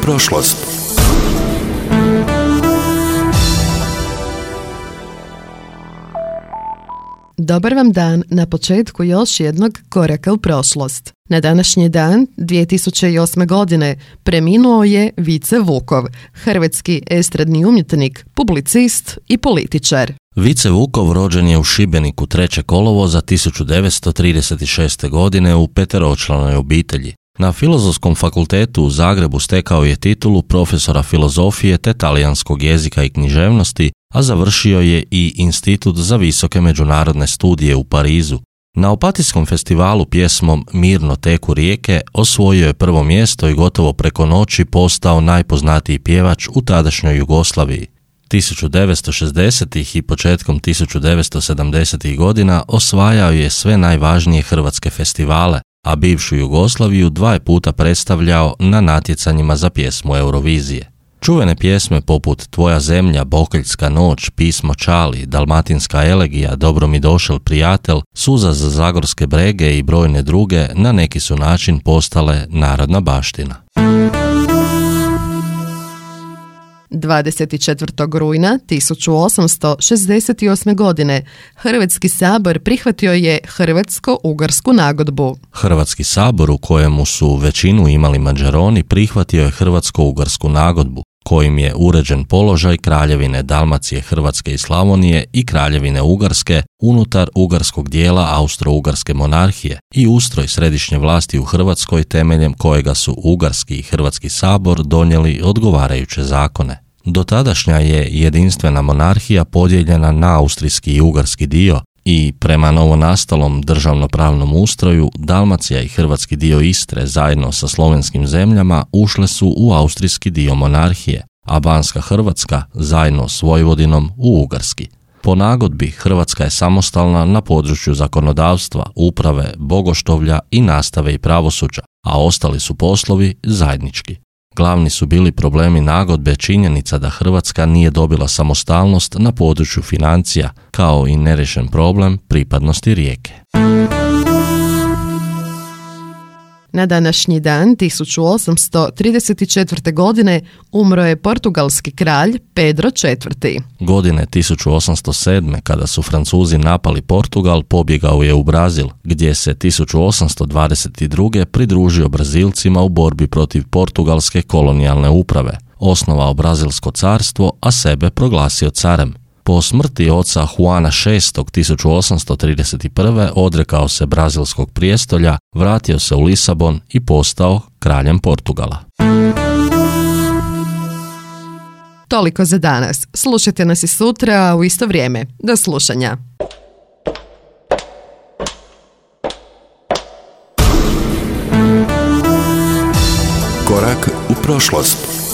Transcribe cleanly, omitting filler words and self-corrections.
prošlost. Dobar vam dan na početku još jednog koraka u prošlost. Na današnji dan, 2008. godine, preminuo je Vice Vukov, hrvatski estradni umjetnik, publicist i političar. Vice Vukov rođen je u Šibeniku 3. kolovoza 1936. godine u peteročlanoj obitelji. Na Filozofskom fakultetu u Zagrebu stekao je titulu profesora filozofije te talijanskog jezika i književnosti, a završio je i Institut za visoke međunarodne studije u Parizu. Na Opatijskom festivalu pjesmom Mirno teku rijeke osvojio je prvo mjesto i gotovo preko noći postao najpoznatiji pjevač u tadašnjoj Jugoslaviji. 1960. i početkom 1970. godina osvajao je sve najvažnije hrvatske festivale, a bivšu Jugoslaviju 2 puta predstavljao na natjecanjima za pjesmu Eurovizije. Čuvene pjesme poput Tvoja zemlja, Bokeljska noć, Pismo Čali, Dalmatinska elegija, Dobro mi došel prijatelj, Suza za zagorske brege i brojne druge na neki su način postale narodna baština. 24. rujna 1868. godine Hrvatski sabor prihvatio je Hrvatsko-ugarsku nagodbu. Hrvatski sabor, u kojemu su većinu imali Mađaroni, prihvatio je Hrvatsko-ugarsku nagodbu, kojim je uređen položaj Kraljevine Dalmacije, Hrvatske i Slavonije i Kraljevine Ugarske unutar ugarskog dijela Austro-ugarske monarhije i ustroj središnje vlasti u Hrvatskoj temeljem kojega su Ugarski i Hrvatski sabor donijeli odgovarajuće zakone. Dotadašnja je jedinstvena monarhija podijeljena na austrijski i ugarski dio i prema novonastalom državnopravnom ustroju Dalmacija i hrvatski dio Istre zajedno sa slovenskim zemljama ušle su u austrijski dio monarhije, a Banska Hrvatska zajedno s Vojvodinom u ugarski. Po nagodbi Hrvatska je samostalna na području zakonodavstva, uprave, bogoštovlja i nastave i pravosuđa, a ostali su poslovi zajednički. Glavni su bili problemi nagodbe činjenica da Hrvatska nije dobila samostalnost na području financija, kao i neriješen problem pripadnosti rijeke. Na današnji dan 1834. godine umro je portugalski kralj Pedro IV. Godine 1807. kada su Francuzi napali Portugal, pobjegao je u Brazil, gdje se 1822. pridružio Brazilcima u borbi protiv portugalske kolonijalne uprave, osnovao Brazilsko carstvo, a sebe proglasio carem. Po smrti oca Juana VI 1831. odrekao se brazilskog prijestolja, vratio se u Lisabon i postao kraljem Portugala. Toliko za danas. Slušajte nas i sutra u isto vrijeme. Do slušanja. Korak u prošlost.